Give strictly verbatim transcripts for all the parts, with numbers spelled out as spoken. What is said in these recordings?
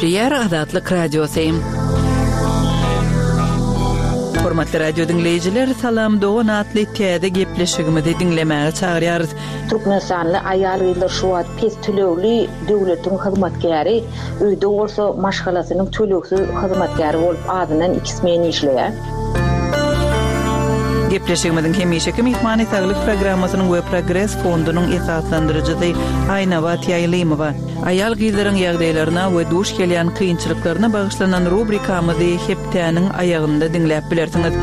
Gepleýär Azatlyk Radiosy. Hormatly radio diňleýjiler, Salam dogan atly täze gepleşigimizi diňlemäge çagyrýarys. Türkmenistanly aýal-gyzlar şu wagt pes tölegli döwletiň hyzmatkäri, öýde bolsa maşgalasynyň tölegsiz hyzmatkäri bolup azyndan iki smen işleýär. Gepleşigimiziň hemişeki myhmany Saglyk programmasynyň we Progres fondunyň esaslandyryjysy Aýnabat Ýaýlymowa. Aýal-gyzlaryň ýagdaýlaryna we duş gelýän kynçylyklaryna bagyşlanan rubrikamyzy hepdäniň aýagynda diňläp bilersiňiz.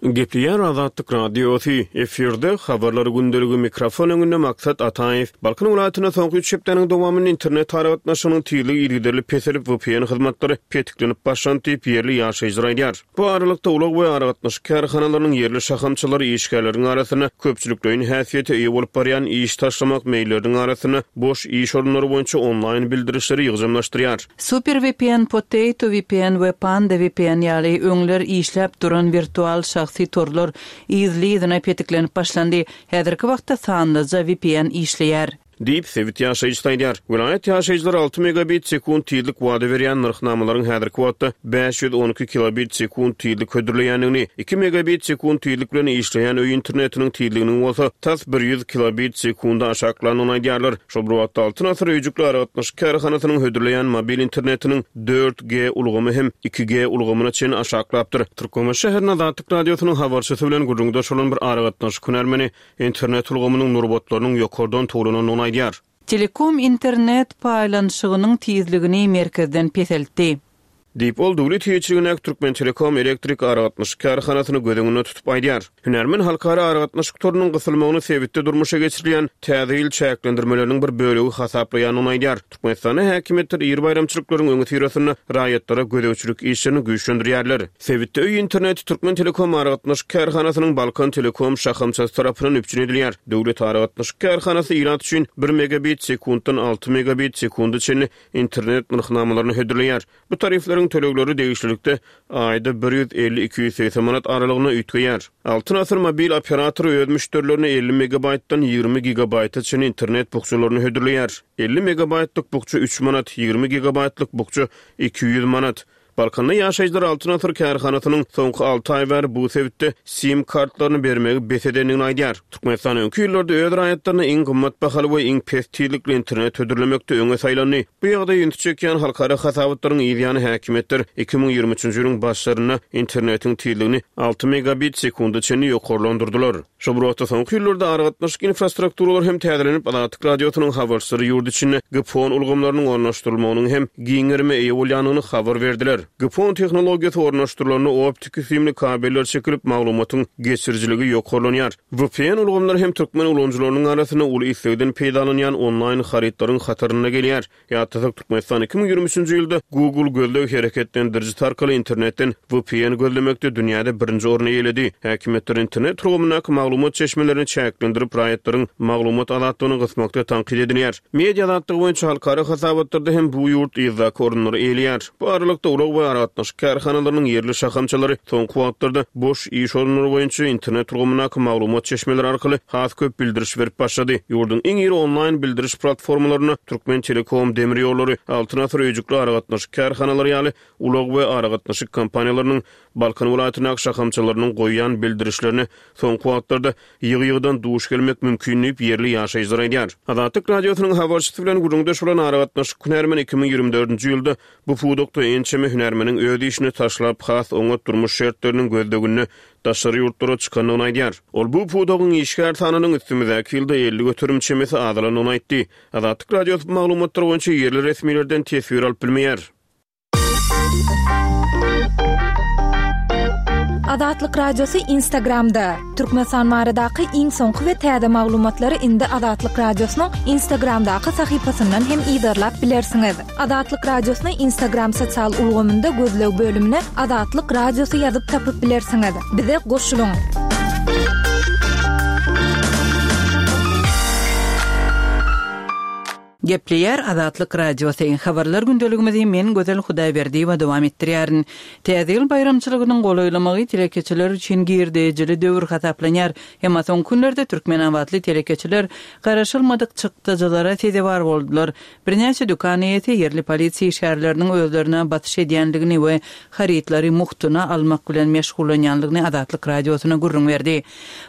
Gepleýär Azatlyk Radiosy, efirde habarlar gündeligi mikrofon öňünde Maksat Ataýew. Balkan welaýatynda soňky üç hepdäniň dowamynda internet aragatnaşygynyň tizligi yzygiderli peselip, V P N hyzmatlary petiklenip başlandy diýip, ýerli ýaşaýjylar aýdýar. Bu aralykda ulag we aragatnaşyk kärhanalarynyň ýerli şahamçalary işgärleriň arasynda köpçülikleýin häsiýete eýe bolup barýan iş taşlamak meýilleriniň arasynda boş iş orunlary boýunça onlaýn bildirişleri ýygjamlaşdyrýar. Super V P N, Potato V P N we Panda V P N ýaly öňler işläp duran wirtual şahsy torlar yzly-yzyna petiklenip başlandy. Häzirki wagtda sanlyja V P N işleýär. Diýip sebit ýaşaýjysy aýdýar. Welaýat ýaşaýjylary alty megabit sekunt tizlik wada berýän nyrhnamalaryň häzirki wagtda bäş ýüz on iki kilobit sekunt tizlik hödürleýändigini, iki megabit sekunt tizlik bilen işleýän öý internetiniň tizliginiň bolsa tas bir ýüz kilobit sekunda aşaklandygyny aýdýarlar. Şol bir wagtda Altyn asyr öýjükli aragatnaşyk kärhanasynyň hödürleýän mobil internetiniň dört G ulgamy hem iki G ulgamyna çenli aşaklapdyr. Türkmenbaşy şäherinde Azatlyk Radiosynyň habarçysy bilen gürrüňdeş bolan bir aragatnaşyk hünärmeni internet ulgamynyň nurbatlarynyň ýokardan towlanandygyny aýdýar. Telekom internet paýlanyşygynyň tizligini merkezden peseltdi. Diýip ol döwlet eýeçiligindäki Türkmen Telekom elektrik aragatnaşyk kärhanasyny göz öňünde tutup aýdýar. Hünärmen halkara aragatnaşyk torunyň gysylmagyny sebitde durmuşa geçirilýän täze ýyl çäklendirmeleriniň bir bölegi hasaplaýandygyny aýdýar. Türkmenistanda häkimiýetler iri baýramçylyklaryň öňüsyrasynda raýatlara gözegçilik işlerini güýçlendirýärler. Sebitde öý interneti Türkmen Telekom aragatnaşyk kärhanasynyň Balkan Telekom şahamçasy tarapyndan üpjün edilýär. Döwlet aragatnaşyk kärhanasy ilat üçin bir megabit sekuntdan alty megabit sekunda çenli internet nyrhnamalaryny hödürleýär. Bu tarifleriň tölegleri degişlilikde aýda bir ýüz elli iki ýüz segsen manat aralygynda üýtgeýär. Altyn asyr mobil operatory öz müşderilerine elli megabaytdan ýigrimi gigabayta çenli internet bukjalaryny hödürleýär. elli megabaytlyk bukja üç manat, ýigrimi gigabaytlyk bukja iki ýüz manat. Balkanda ýaşaýjylar Altyn asyr kärhanasynyň soňky alty aý bäri bu sebitde SIM kartlaryny bermegi bes edendigini aýdýar. Türkmenistan öňki ýyllarda öz raýatlaryna iň gymmat bahaly we iň pes tizlikli internet hödürlemekde öňe saýlandy. Bu ýagdaý ünsi çekýän halkara hasabatlaryň ýany häkimiýetler iki müň ýigrimi üçünji ýylyň başlarynda internetiň tizligini alty megabit sekunda çenli ýokarlandyrdylar. Şol bir wagtda soňky ýyllarda aragatnaşyk infrastrukturalary hem täzelenip, Azatlyk Radiosynyň habarçylary ýurt içinde G P O N ulgamlarynyň ornaşdyrylmagynyň hem giň gerime eýe bolýandygyny habar berdiler. G P O N tehnologiýasy ornaşdyrylanda optiki simli kabeller çekilip, maglumatyň geçirijiligi ýokarlanýar. V P N ulgamlary hem türkmen ulanyjylarynyň arasynda uly islegden peýdalanýan onlaýn harytlaryň hatarynda gelýär. Ýatlasak, Türkmenistan iki müň ýigrimi üçünji ýylda Google gözleg hereketlendirijisi arkaly internetden V P N gözlemekde dünýäde birinji orny eýeledi. Häkimiýetler internet ulgamyndaky maglumat çeşmelerini çäklendirip, raýatlaryň maglumat azatlygyny gysmakda tankyt edilýär. Media azatlygy boýunça halkara hasabatlarda hem bu ýurt yzdaky orunlary eýeleýär. Bu aralykda ulag we aragatnaşyk kärhanalarynyň ýerli şahamçalary soňky wagtlarda boş iş orunlary boýunça internet ulgamyndaky maglumat çeşmeleri arkaly has köp bildiriş berip başlady. Ýurduň iň iri onlaýn bildiriş platformalaryna Türkmen Telekom, Demir ýollary, Altyn asyr öýjükli aragatnaşyk kärhanalary ýaly ulag we aragatnaşyk kompaniýalarynyň Balkan welaýatyndaky şahamçalarynyň goýýan bildirişlerine soňky wagtlarda ýygy-ýygydan duş gelmek mümkin diýip ýerli ýaşaýjylar aýdýar. Azatlyk Radiosynyň habarçysy bilen gürrüňdeş bolan aragatnaşyk hünärmeni iki müň ýigrimi dördünji ýylda bu pudakda ençeme hünärmeniň öz işini taşlap has oňat durmuş şertleriniň gözleginde daşary ýurtlara çykandygyny aýdýar. Ol bu pudagyň işgär sanynyň üstümizdäki ýylda elli göterim çemesi azalandygyny aýtdy. Azatlyk Radiosy bu maglumatlar boýunça ýerli resmilerden teswir alyp bilmeýär. Azatlyk Radiosy Instagramda. Türkmenistan baradaky iň soňky we täze maglumatlary indi Azatlyk Radiosynyň Instagramdaky sahypasyndan hem yzarlap bilersiňiz. Azatlyk Radiosyny Instagram sosial ulgamynda gözleg bölümine Azatlyk Radiosy ýazyp tapyp bilersiňiz. Bize goşulyň. Gepleýär Azatlyk Radiosy. Habarlar gündeligimizi men Gözel Hudaýberdiýewa dowam etdirýärin. Täze ýyl baýramçylygynyň golaýlamagy telekeçiler üçin girdejili döwür hasaplanýar. Emma soňky günlerde türkmenabatly telekeçiler garaşylmadyk çykdajylara sezewar boldular. Birnäçe dükan eýesi ýerli polisiýa işgärleriniň özlerine basyş edýändigini we harytlary mugtuna almak bilen meşgullanýandygyny Azatlyk Radiosyna gürrüň berdi.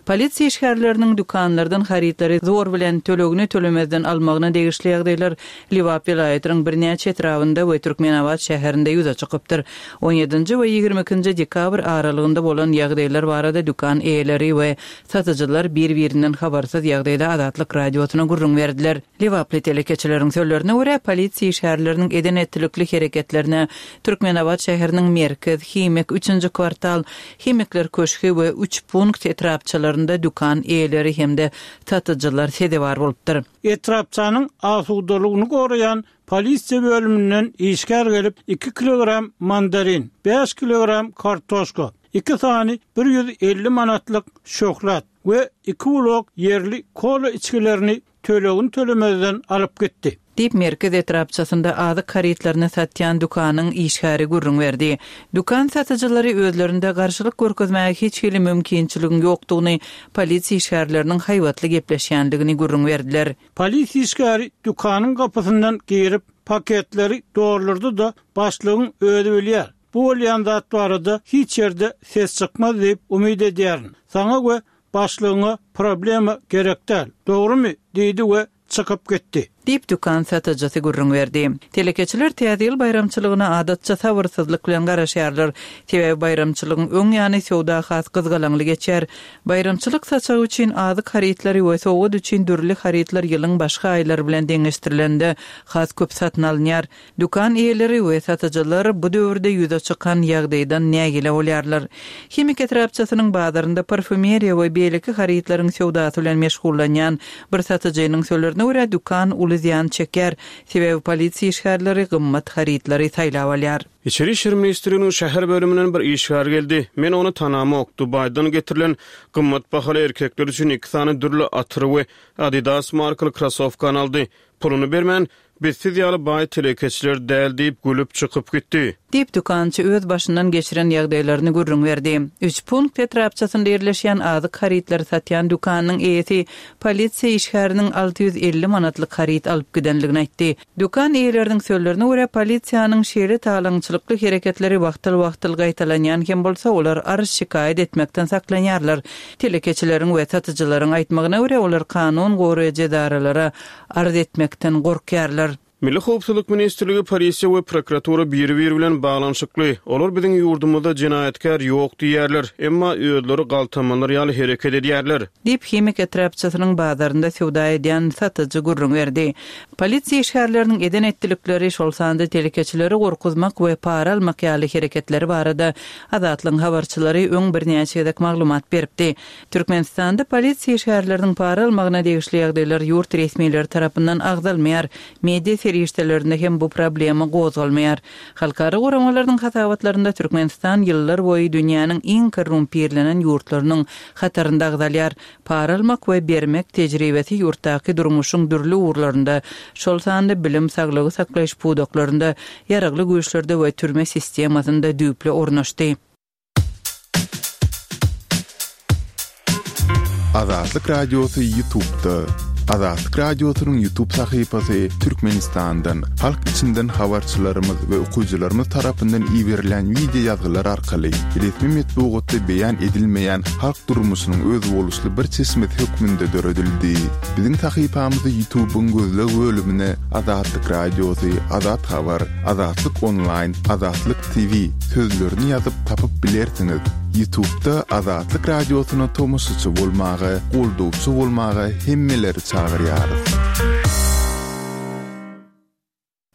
Polisiýa işgärleriniň dükanlardan harytlary zor bilen tölegini tölemezden almagyna degişli ýagdaýlar Lebap welaýatynyň birnäçe etrabynda we Türkmenabat şäherinde ýüze çykypdyr. On ýedinji we ýigrimi ikinji dekabr aralygynda bolan ýagdaýlar barada dükan eýeleri we satyjylar bir-birinden habarsyz ýagdaýda Azatlyk Radiosyna gürrüň berdiler. Lebaply telekeçileriň sözlerine görä, polisiýa işgärleriniň eden-etdilikli hereketlerine Türkmenabat şäheriniň Merkez, Himik, Üçünji kwartal, Himikler köşgi we Üç punkt etrapçalarynda dükan eýeleri hem-de satyjylar sezewar bolupdyr. Etrapçanyň asudalygyny goraýan polisiýa bölüminden işgär gelip, iki kilogram mandarin, bäş kilogram kartoşka, iki sany bir ýüz elli manatlyk şöhlat we iki ulak ýerli kola içgilerini tölegini tölemezden alyp gitdi. Diýip, Merkez etrapçasynda azyk harytlaryny satýan dükanyň işgäri gürrüň berdi. Dükan satyjylary özlerinde garşylyk görkezmäge hiç hili mümkinçiligiň ýokdugyny, polisiýa işgärleriniň haýbatly gepleşýändigini gürrüň berdiler. Polisiýa işgäri dükanyň gapysyndan girip, paketleri doldurdy-da, başlygyň özi bilýär, bu bolýan zat barada hiç ýerde ses çykmaz diýip umyt edýärin. Saňa we başlygyňa problema gerek däl, dogrumy? diýdi we çykyp gitdi. Diýip, dükan satyjysy gürrüň berdi. Telekeçiler Täze ýyl baýramçylygyna adatça sabyrsyzlyk bilen garaşýarlar. Sebäbi baýramçylygyň öň ýany söwda has gyzgalaňly geçýär. Baýramçylyk saçagy üçin azyk harytlary we sowgat üçin dürli harytlar ýylyň başga aýlary bilen deňeşdirilende has köp satyn alynýar. Dükan eýeleri we satyjylar bu döwürde ýüze çykan ýagdaýdan nägile bolýarlar. Himik etrapçasynyň bazarynda parfýumeriýa we beýleki harytlaryň söwdasy bilen meşgullanýan bir satyjynyň sözlerine görä, dükan uly zyýan çekýär, sebäbi polisiýa işgärleri gymmat harytlary saýlap alýar. Içeri işler ministrliginiň şäher bölüminden bir işgär geldi. Men ony tanamok. Dubaýdan getirilen gymmat bahaly erkekler üçin iki sany dürli atyry we Adidas markaly krosowkany aldy. Puluny bermän, Biz siz ýaly baý telekeçiler däl diýip, gülüp çykyp gitdi. Diýip, dükançy öz başyndan geçiren ýagdaýlaryny gürrüň berdi. Üç punkt etrapçasynda ýerleşýän azyk harytlary satýan dükanynyň eýesi polisiýa işgäriniň alty ýüz elli manatlyk haryt alyp gidenligini aýtdy. Dükan eýeleriniň sözlerine görä, polisiýanyň şeýle talaňçylykly hereketleri wagtal-wagtal gaýtalanýan hem bolsa, olar arz-şikaýat etmekden saklanýarlar. Telekeçileriň we satyjylaryň aýtmagyna görä, olar kanun goraýjy edaralara arz etmekden gorkýarlar. Milli howpsuzlyk ministrligi, polisiýa we prokuratura biri-biri bilen baglanyşykly. Olar biziň ýurdumyzda jenaýatkär ýok diýýärler, emma özleri galtamanlar ýaly hereket edýärler. Diýip, Himik etrapçasynyň bazarynda söwda edýän satyjy gürrüň berdi. Polisiýa işgärleriniň eden-etdilikleri, şol sanda telekeçileri gorkuzmak we para almak ýaly hereketleri barada Azatlygyň habarçylary öň birnäçe gezek maglumat beripdi. Türkmenistanda polisiýa işgärleriniň para almagyna degişli ýagdaýlar ýurt resmileri tarapyndan agzalmaýar, media serişdelerinde hem bu problema gozgalmaýar. Halkara guramalarynyň hasabatlarynda Türkmenistan ýyllar boýy dünýäniň iň korrumpirlenen ýurtlarynyň hatarynda agzalýar. Para almak we bermek tejribesi ýurtdaky durmuşyň dürli ugurlarynda, şol sanda bilim, saglygy saklaýyş pudaklarynda, Ýaragly Güýçlerde we türme sistemasynda düýpli ornaşdy. Azatlyk Radiosy Ýutubda. Azatlyk Radiosynyň Ýutub sahypasy Türkmenistandan, halk içinden habarçylarymyz we okyjylarymyz tarapyndan iberilen wideo ýazgylar arkaly resmi metbugatda beýan edilmeýän halk durmuşynyň özboluşly bir çeşmesi hökmünde döredildi. Biziň sahypamyzy Ýutubyň gözleg bölümine Azatlyk Radiosy, Azat Habar, Azatlyk Onlaýn, Azatlyk T V sözlerini ýazyp tapyp bilersiňiz. Ýutubda Azatlyk Radiosyna tomaşaçy bolmaga, goldawçy bolmaga hemmeleri çagyrýarys.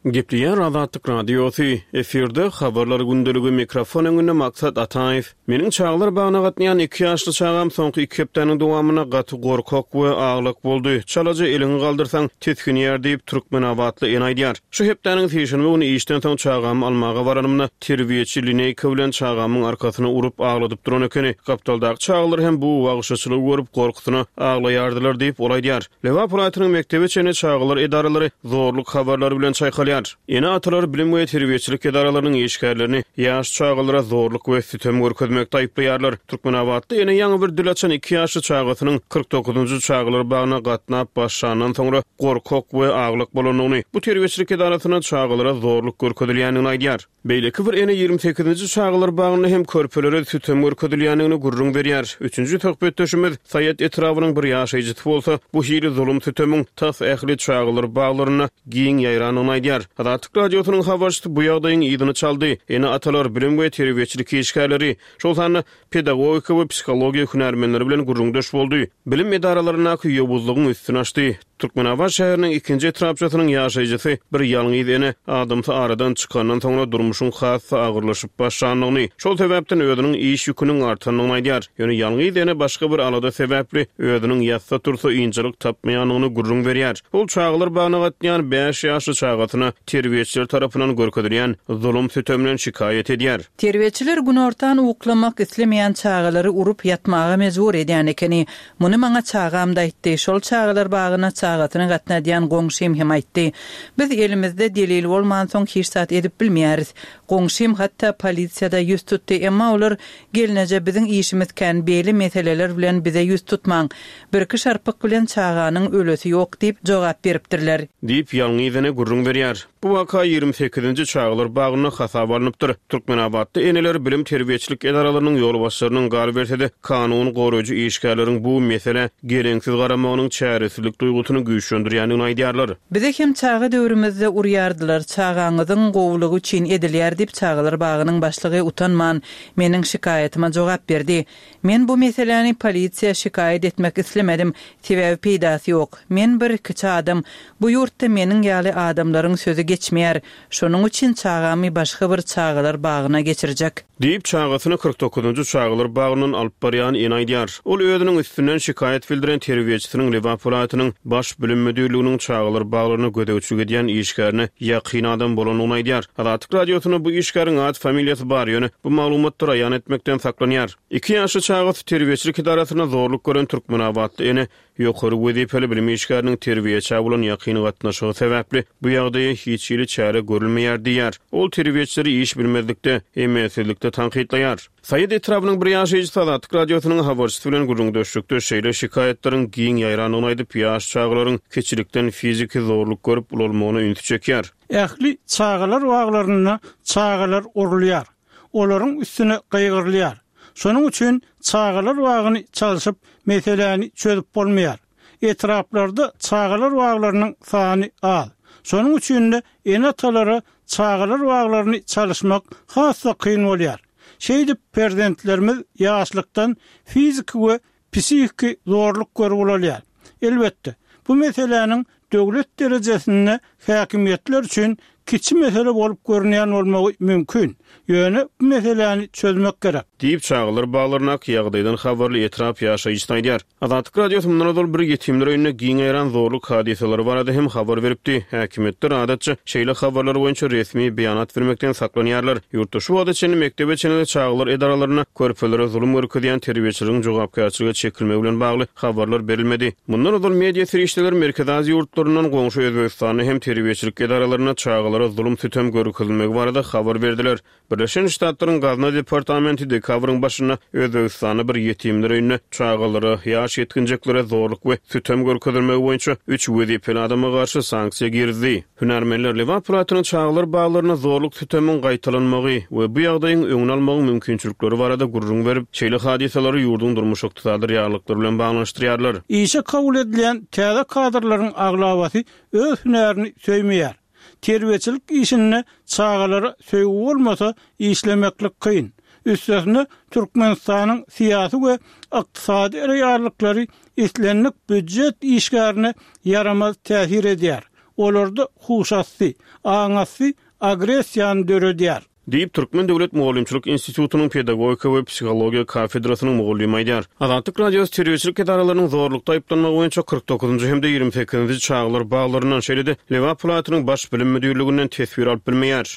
Gepleýär Azatlyk Radiosy, efirde Habarlar gündeligi, mikrofon öňünde Maksat Ataýew. Meniň çagalar bagyna gatnaýan iki ýaşly çagam soňky iki hepdäniň dowamynda gaty gorkak we aglak boldy. Çalaja eliňi galdyrsaň, tisginýär diýip, türkmenabatly ene aýdýar. Şu hepdäniň sişenbe güni işden soň çagamy almaga baranymda, terbiýeçi lineýka bilen çagamyň arkasyna urup agladyp duran ekeni. Gapdaldaky çagalar hem bu wagşyçylygy görüp, gorkusyna aglaýardylar diýip, ol aýdýar. Lebap welaýatynyň mekdebe çenli çagalar edaralary zorluk habarlary bilen çaýkalýar. Ene-atalar bilim we terbiýeçilik edaralarynyň işgärlerini ýaş çagalara zorluk we sütem görkezmekde aýyplaýarlar. Türkmenabatly ene ýaňy bir dil açan iki ýaşly çagasynyň kyrk dokuzynjy çagalar bagyna gatnap başlandan soňra gorkak we aglak bolandygyny, bu terbiýeçilik edarasynda çagalara zorluk görkezilýändigini aýdýar. Beýleki bir ene ýigrimi sekizinji çagalar bagynda hem körpelere sütem görkezilýändigini gürrüň berýär. Üçünji söhbetdeşimiz Saýat etrabynyň bir ýaşaýjysy bolsa, bu hili zulum-sütemiň tas ähli çagalar baglarynda giň ýaýrandygyny aýdýar. Azatlyk Radiosynyň habarçysy bu ýagdaýyň yzyny çaldy. Ene-atalar, bilim we terbiýeçilik işgärleri, şol sanda pedagogika we psihologiýa hünärmenleri bilen gürrüňdeş boldy. Bilim edaralaryndaky ýowuzlygyň üstüni açdy. Türkmenabat şäheriniň ikinji etrapçasynyň ýaşaýjysy bir ýalňyz ene adamsy aradan çykandan soňra durmuşyň has-da agyrlaşyp başlandygyny, şol sebäpden özüniň iş ýüküniň artandygyny aýdýar. Ýöne ýalňyz ene başga bir alada sebäpli özüniň ýatsa-tursa ynjalyk tapmaýandygyny gürrüň berýär. Ol çagalar bagyna gatnaýan bäş ýaşly çagasyna terbiýeçiler tarapyndan görkezilýän zulum-sütemden şikaýat edýär. Terbiýeçiler günortan uklamak islemeýän çagalary urup ýatmaga mejbur edýän ekeni. Muny maňa çagam-da aýtdy. Şol çagalar bagyna çagasyny gatnadýan goňşym hem aýtdy. Biz elimizde delil bolmansoň hiç zat edip bilmeýäris. Goňşym hatda polisiýada ýüz tutdy, emma olar gelneje biziň işimiz kän beýle meseleler bilen bize ýüz tutmaň. Birki şarpyk bilen çaganyň ölesi ýok diýip jogap beripdirler. Diýip ýalňyz ene gürrüň berýär. Bu waka ýigrimi sekizinji çagalar bagynda hasaba alnypdyr. Türkmenabatda eneler bilim terbiýeçilik edaralarynyň ýolbaşçylarynyň galyberse-de kanun goraýjy işgärleriň bu meselä geleňsiz garamagynyň çäresizlik duýgusyny güýçlendirýändigini aýdýarlar. Bize hem çaga döwrümizde urýardylar. Çagaňyzyň gowulygy üçin edilýär diýip çagalar bagynyň başlygy utanman meniň şikaýatyma jogap berdi. Men bu meseläni polisiýa şikaýat etmek islemedim. Sebäbi peýdasy ýok. Men bir kiçi adam. Bu ýurtda meniň ýaly adamlaryň sözi geçmeýär. Şonuň üçin çagamy başga bir çagalar bagyna geçirjek. Diýip çagasyny kyrk dokuzynjy çagalar bagyndan alyp barýan ene aýdýar. Ol özüniň üstünden şikaýat bildiren terbiýeçisiniň Lebap welaýatynyň baş bilim müdirliginiň çagalar baglaryna gözegçilik edýän işgärine ýakyn adam bolandygyny aýdýar. Azatlyk Radiosyna bu işgäriň at familiýasy bar, ýöne bu maglumatlary aýan etmekden saklanýar. Iki ýaşly çagasy terbiýeçilik edarasyna zorluk gören Türkmenabatly ene ýokary wezipeli bilim işgäriniň terbiýeçä bolan ýakyn gatnaşygy sebäpli bu ýagdaýa hiç hili çäre görülmeýär diýýär. Ol terbiýeçileri iş bilmezlikde, emelsizlikde tankytlaýar. Saýat etrabynyň bir ýaşaýjysy Azatlyk Radiosynyň habarçysy bilen gürrüňdeşlikde şeýle şikaýatlaryň giň ýaýrandygyny aýdyp, ýaş çagalaryň kiçilikden fiziki zorluk görüp ulalmagyna ünsi çekýär. Ähli çagalar baglarynda çagalar urulýar. Olaryň üstüne gaýgyrylýar. Şonuň üçin çagalar bagyny çalşyp meseläni çözüp bolmaýar. Etraplarda çagalar baglarynyň sany az. Şonuň üçin de ene-atalara çagalar baglaryny çalyşmak has-da kyn bolýar. Şeýdip perzentlerimiz ýaşlykdan fiziki we psihiki zorluk görüp ulalýar. Elbetde, bu meseläniň döwlet derejesinde häkimiýetler üçin kiçi mesele bolup görünýän bolmagy mümkin. Ýöne bu meseläni çözmek gerek. Diýip çagalar baglaryndaky ýagdaýdan habarly etrap ýaşaýjysy aýdýar. Azatlyk Radiosy mundan ozal bir ýetimler öýünde giň ýaýran zorluk hadysalary barada hem habar beripdi. Häkimiýetler adatça şeýle habarlar boýunça resmi beýanat bermekden saklanýarlar. Ýurtda şu wagta çenli mekdebe çenli çagalar edaralarynda körpelere zulum görkezýän terbiýeçileriň jogapkärçilige çekilmegi bilen bagly habarlar berilmedi. Mundan ozal media serişdeleri Merkezi Aziýa ýurtlaryndan goňşy Özbegistanda hem terbiýeçilik edaralarynda çagalara zulum sütem görkezilmegi barada habar berdiler. Birleşen Ştatlaryň Gazna departamenti dekabryň başynda Özbegistanda bir ýetimler öýünde çagalara, ýaş ýetginjeklere zorluk we sütem görkezilmegi boýunça üç wezipeli adama garşy sanksiýa girizdi. Hünärmenler Lebap welaýatynyň çagalar baglaryna zorluk sütemiň gaýtalanmagy we bu ýagdaýyň öňüni almagyň mümkinçilikleri barada gürrüň berip, şeýle hadysalary ýurduň durmuş ykdysady reallyklary bilen baglanyşdyrýarlar. Işe kabul edilen täze kadrlaryň aglabasy öz hünärini söýmeýär. Terbiýeçilik işinde çagalara söýgi bolmasa işlemeklik kyn. Üstesine Türkmenistanyň syýasy we ykdysady reallyklary islendik býujet işgärine ýaramaz täsir edýär. olarda huşasty, aňasty agressiýany döredýär. Diýip, Türkmen döwlet mugallymçylyk institutynyň pedagogika we psihologiýa kafedrasynyň mugallymy aýdýar. Azatlyk Radiosy terbiýeçilik edaralarynyň zorlukda aýyplanmagy boýunça kyrk dokuzynjy hem-de ýigrimi sekizinji çagalar baglaryndan, şeýle-de Lebap welaýatynyň baş bilim müdirliginden teswir alyp bilmeýär.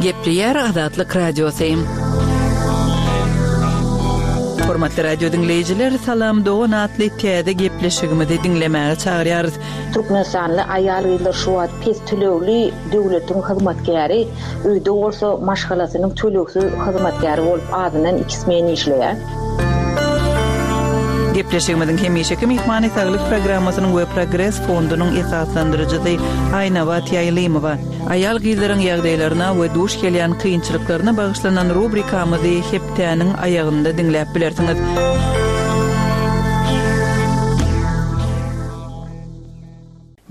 Gepleýär Azatlyk Radiosy. Hormatly radio diňleýjiler, Salam dogan atly täze gepleşigimizi diňlemäge çagyrýarys. Türkmenistanly aýal-gyzlar şu wagt pes tölegli döwletiň hyzmatkäri, öýde bolsa maşgalasynyň tölegsiz hyzmatkäri bolup azyndan iki smen işleýär. Gepleşigimiziň hemişeki myhmany Saglyk programmasynyň we Progres fondunyň esaslandyryjysy Aýnabat Ýaýlymowa. Aýal-gyzlaryň ýagdaýlaryna we duş gelýän kynçylyklaryna bagyşlanan rubrikamyzy hepdäniň aýagynda diňläp bilersiňiz.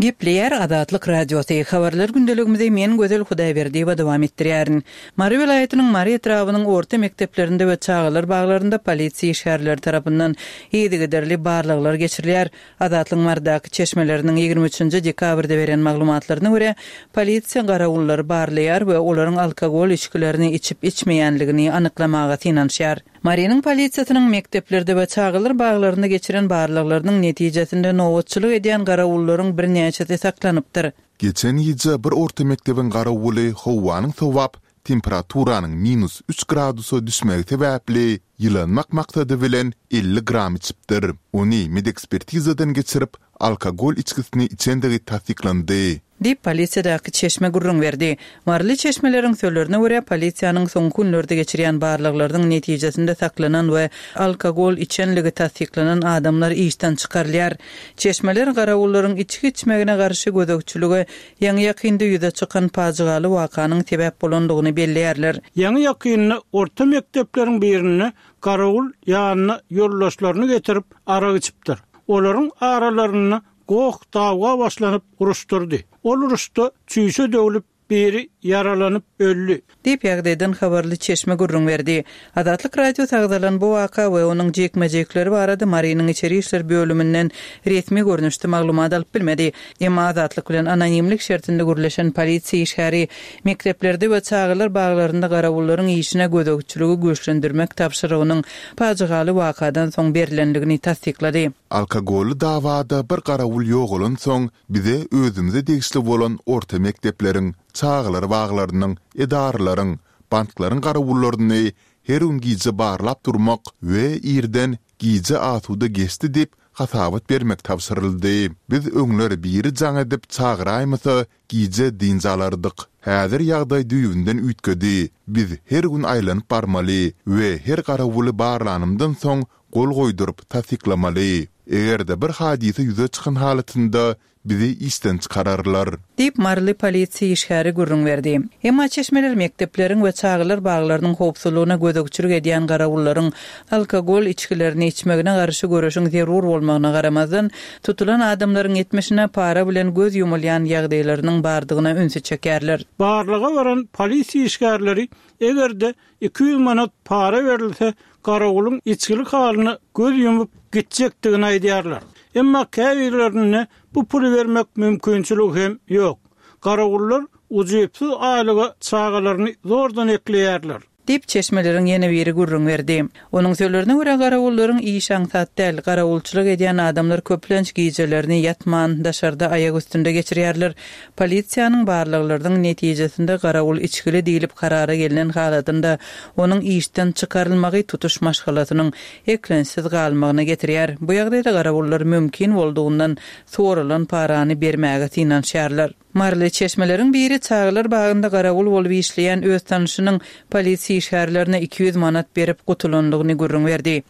Gepleýär Azatlyk Radiosy. Habarlar gündeligimizi men Gözel Hudaýberdiýewa dowam etdirýärin. Mary welaýatynyň Mary etrabynyň orta mekdeplerinde we çagalar baglarynda polisiýa işgärleri tarapyndan yzygiderli barlaglar geçirilýär. Azatlyk Marydaky çeşmeleriniň ýigrimi üçünji dekabrda beren maglumatlaryna görä, polisiýa garawullary barlaýar we olaryň alkogol içgilerini içip içmeýänligini anyklamaga synanyşýar. Marynyň polisiýasynyň mekdeplerde we çagalar baglarynda geçiren barlaglarynyň netijesinde nobatçylyk edýän garawullaryň birnäçesi saklanypdyr. Geçen gije bir orta mekdebiň garawuly howanyň sowap, temperaturanyň minus üç gradusa düşmegi sebäpli ýylanmak maksady bilen elli gram içipdir. Ony medekspertizadan geçirip, alkogol içgisini içendigi tassyklandy. Diýip, polisiýadaky çeşme gürrüň berdi. Maryly çeşmeleriň sözlerine görä, polisiýanyň soňky günlerde geçirýän barlaglarynyň netijesinde saklanan we alkogol içenligi tassyklanan adamlar işden çykarylýar. Çeşmeler garawullaryň içgi içmegine garşy gözegçilige ýaňy ýakynda ýüze çykan pajygaly wakanyň sebäp bolandygyny belleýärler. Ýaňy ýakynda orta mekdepleriň birinde garawul ýanyna ýoldaşlaryny getirip arak içipdir. Olaryň aralarynda goh dawga başlanyp uruşdurdy. Ol uruşda çüýşe döwlüp biri ýaralanyp öldi. Diýip, ýagdaýdan habarly çeşme gürrüň berdi. Azatlyk Radiosy agzalan bu waka we onuň jekme-jekleri barada Marynyň içeri işler bölüminden resmi görnüşde maglumat alyp bilmedi. Emma Azatlyk bilen anonimlik şertinde gürleşen polisiýa işgäri mekdeplerde we çagalar baglarynda garawullaryň işine gözegçiligi güýçlendirmek tabşyrygynyň pajygaly wakadan soň berilendigini tassyklady. Alkogolly dawada bir garawul ýogalan soň bize özümize degişli bolan orta mekdepleriň, çagalar baglarynyň, edaralaryň, banklaryň garawullaryny her gün gije barlap durmak we irden gije asuda geçdi diýip hasabat bermek tabşyryldy. Biz öňler biri jaň edip çagyraýmasa gije dynç alardyk. Häzir ýagdaý düýbünden üýtgedi. Biz her gün aýlanyp barmaly we her garawuly barlanymdan soň gol goýduryp tassyklamaly. Eger-de bir hadysa ýüze çykan halatynda bizi işden çykararlar. Diýip, Maryly polisiýa işgäri gürrüň berdi. Emma çeşmeler mekdepleriň we çagalar baglarynyň howpsuzlygyna gözegçilik edýän garawullaryň alkogol içgilerini içmegine garşy göreşiň zerur bolmagyna garamazdan, tutulan adamlaryň etmişine para bilen göz ýumulýan ýagdaýlarynyň bardygyna ünsi çekerler. Barlyga varan polisiýa işgärleri eger-de iki ýüz manat para berilse, garawulyň içgilik halyna göz ýumup gitjekdigini aýdýarlar. Emma käbirlerine bu puly bermek mümkinçiligi hem ýok. Garawullar ujypsyz aýlyga çagalaryny zordan ekleýärler. Diýip, çeşmeleriň ýene biri gürrüň berdi. Onuň sözlerine görä, garawullaryň iş aňsat däl, garawulçylyk edýän adamlar köplenç gijelerini ýatman, daşarda aýak üstünde geçirýärler. Polisiýanyň barlaglarynyň netijesinde garawul içgili diýlip karara gelnen halatynda onuň işden çykarylmagy tutuş maşgalasynyň eklençsiz galmagyna getirýär. Bu ýagdaýda garawullar mümkin boldugyndan sorulan parany bermäge synanyşýarlar. Maryly çeşmeleriň biri çagalar bagynda garawul bolup işleýän öz tanışynyň polisiýa işgärlerine iki ýüz manat berip gutulandygyny gürrüň berdi.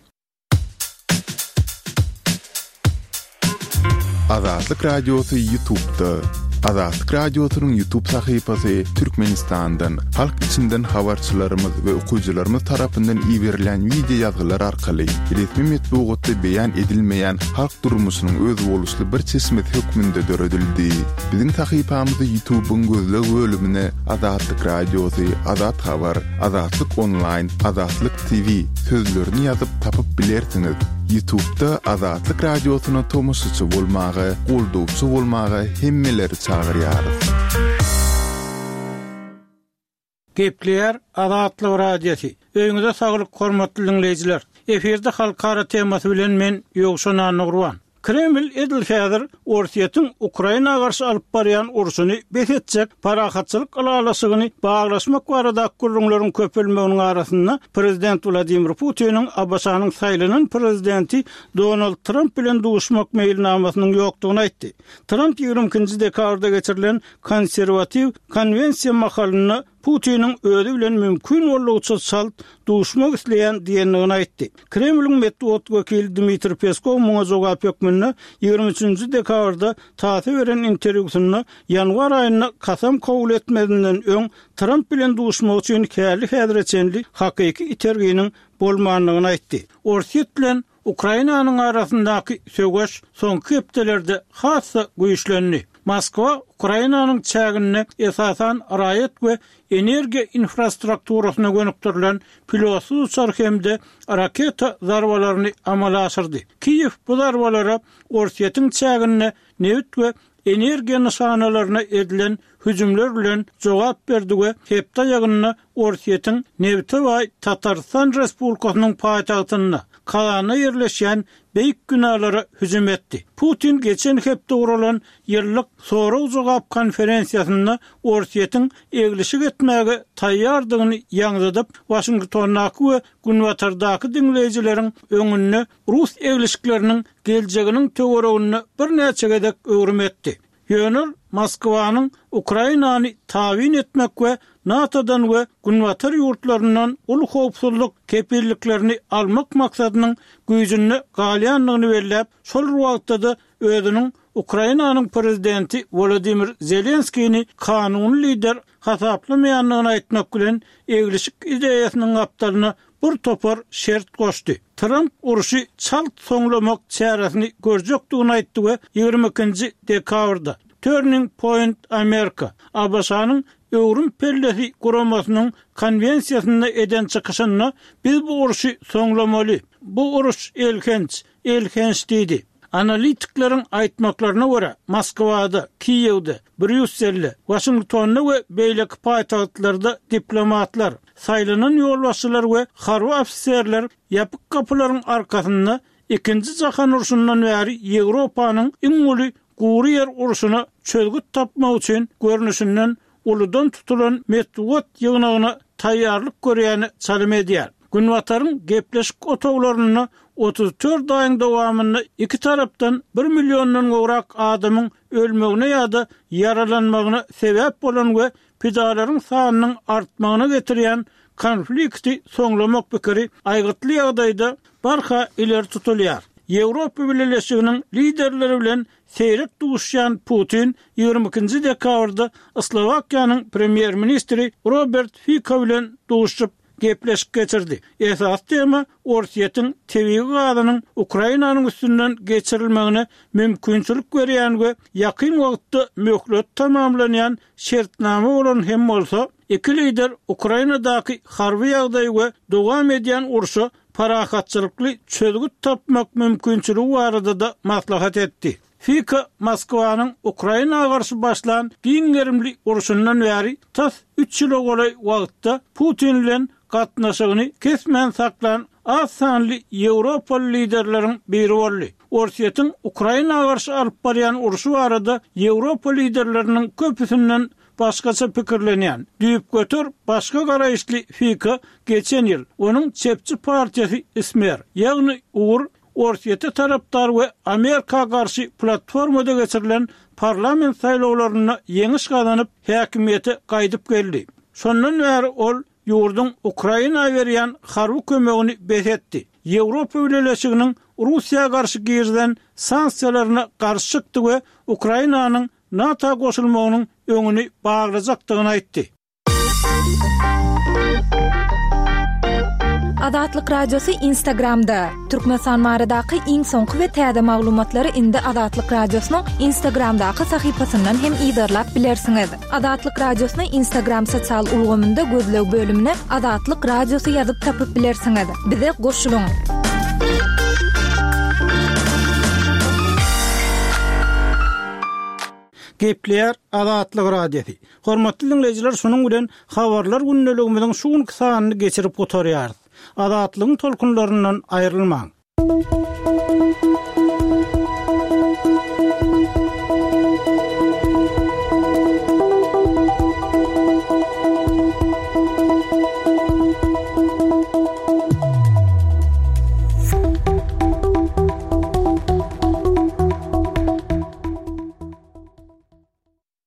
Azatlyk Radiosy YouTube'da. Azatlyk Radiosynyň YouTube sahypasy Türkmenistandan, halk içinden habarçylarymyz we okyjylarymyz tarapyndan iberilen wideo ýazgylar arkaly resmi metbugatda beýan edilmeýän halk durmuşynyň özboluşly bir çeşmesi hökmünde döredildi. Biziň sahypamyzy YouTube'yň gözleg bölümine Azatlyk Radiosy, Azat Habar, Azatlyk Online, Azatlyk T V sözlerini ýazyp tapyp bilersiňiz. YouTube'da Azatlyk Radiosyna tomaşaçy bolmaga, goldawçy bolmaga hemmeleri çagyrýarys. Gepleýär Azatlyk Radiosy. Öýüňize saglyk hormatly dinleýjiler. Efirde halkara temasy bilen men Ýowşan Annagurban. Kreml edil häzir Orsýetiň Ukraina garşy alyp barýan urşuny bes etjek parahatçylyk ylalaşygyny baglaşmak barada gürrüňleriň köpelmeginiň arasynda Prezident Wladimir Putiniň A B Ş-nyň saýlanan prezidenti Donald Trump bilen duşmak meýilnamasynyň ýokdugyny aýtdy. Trump ýigrimi ikinji dekabrda geçirilen konserwatiw konwensiýa mahalynda Putiniň özi bilen mümkin boldugyça çalt duşmak isleýän diýendigini aýtdy. Kremliň metbugat wekili Dmitri Peskov muňa jogap hökmünde ýigrimi üçünji dekabrda T A S S beren interwýusynda ýanwar aýynda kasam kabul etmezinden öň Trump bilen duşmak üçin häli-häzire çenli hakyky iterginiň bolmandygyny aýtdy. Orsýet bilen Ukrainanyň arasyndaky söweş soňky hepdelerde has-da güýçlendi. Moskwa Ukrainanyň çäginde esasan raýat we energiýa infrastrukturasyna gönükdirilen pilotsyz uçar hem-de raketa zarbalaryny amala aşyrdy. Kiýew bu zarbalara Orsýetiň çäginde nebit we energiýa nyşanalaryna edilen hüjümler bilen jogap berdi we hepde aýagynda Orsýetiň nebite baý Tatarstan Respublikasynyň paýtagtynda Kazanda ýerleşýän beýik binalara hüjüm etdi. Putin geçen hepde guralan ýyllyk sorag-jogap konferensiýasynda Orsýetiň eglişik etmäge taýýardygyny ýaňzydyp, Waşingtondaky we Günbatardaky diňleýjileriň öňünde Rus eglişikleriniň geljeginiň töwereginde birnäçe gezek öwrüm etdi. Ýöne Moskwanyň Ukrainany tabyn etmek we NATO-dan we Günbatar ýurtlaryndan uly howpsuzlyk kepilliklerini almak maksadynyň güýjünde galýandygyny belläp, şol wagtda-da özüniň Ukrainanyň prezidenti Wladimir Zelenskini kanuny lider hasaplamaýandygyny aýtmak bilen eglişik ideýasynyň gapdalyna bir topar şert goşdy. Trump urşy çalt soňlamak çäresini görjekdigini aýtdy we ýigrimi ikinji dekabrda Turning Point America, A B Ş-nyň öwrüm pellesi guramasynyň konwensiýasynda eden çykyşynda biz bu urşy soňlamaly. Bu uruş elhenç, elhenç diýdi. Analitikleriň aýtmaklaryna görä Moskwada, Kiýewde, Brýusselde, Waşingtonda we beýleki paýtagtlarda diplomatlar, saýlanan ýolbaşçylar we harby ofiserler ýapyk gapylaryň arkasynda ikinji jahan urşundan bäri Ýewropanyň iň uly gury ýer urşuna çözgüt tapmak üçin görnüşinden uludan tutulan metbugat ýygnagyna taýýarlyk görýäni çalym edýär. Günbataryň gepleşik otaglarynda otuz dört aýyň dowamynda iki tarapdan bir milliondan gowrak adamyň ölmegine ýa-da ýaralanmagyna sebäp bolan we pidalaryň sanynyň artmagyna getirýän konflikti soňlamak pikiri aýgytly ýagdaýda barha ileri tutulýar. Ýewropa Bileleşiginiň liderleri bilen seýrek duşýan Putin ýigrimi ikinji dekabrda Slowakiýanyň premýer-ministri Robert Fico bilen duşup gepleşik geçirdi. Esas tema Orsýetiň tebigy gazynyň Ukrainanyň üstünden geçirilmegine mümkinçilik berýän we ýakyn wagtda möhlet tamamlanýan şertnama bolan hem bolsa, iki lider Ukrainadaky harby ýagdaýy we dowam edýän urşa parahatçylykly çözgüt tapmak mümkinçiligi barada da maslahat etdi. Fico Moskwanyň Ukraina garşy başlan giň gerimli urşundan bäri tas üç ýyla golaý wagtda Putin bilen gatnaşygyny kesmän saklan az sanly Ýewropaly liderleriň biri boldy. Orsýetiň Ukraina garşy alyp barýan urşy barada Ýewropa liderleriniň köpüsinden başgaça pikirlenýän, düýpgöter başga garaýyşly Fico geçen ýyl onuň çepçi partiýasy Smer, ýagny Ugur Orsýete tarapdar we Amerika garşy platformada geçirilen parlament saýlawlarynda ýeňiş gazanyp häkimiýete gaýdyp geldi. Şondan bäri ol ýurduň Ukraina berýän harby kömegini bes etdi. Ýewropa Bileleşiginiň Russiýa garşy girizen sanksiýalaryna garşy çykdy we Ukrainanyň NATO goşulmagynyň öňüni baglajakdygyny aýtdy. Azatlyk Radiosy Instagramda, Türkmenistan baradaky iň soňky we täze maglumatlary indi Azatlyk Radiosynyň Instagramdaky sahypasyndan hem yzarlap bilersiňiz. Azatlyk Radiosyny Instagram sosial ulgamynda gözleg bölümine Azatlyk Radiosy ýazyp tapyp bilersiňiz. Bize goşulyň! Gepleýär Azatlyk Radiosy. Hormatly diňleýjiler, şunuň bilen Habarlar gündeligimiziň şu günki sanyny geçirip gutarýarys. Azatlygyň tolkunlaryndan aýrylmaň!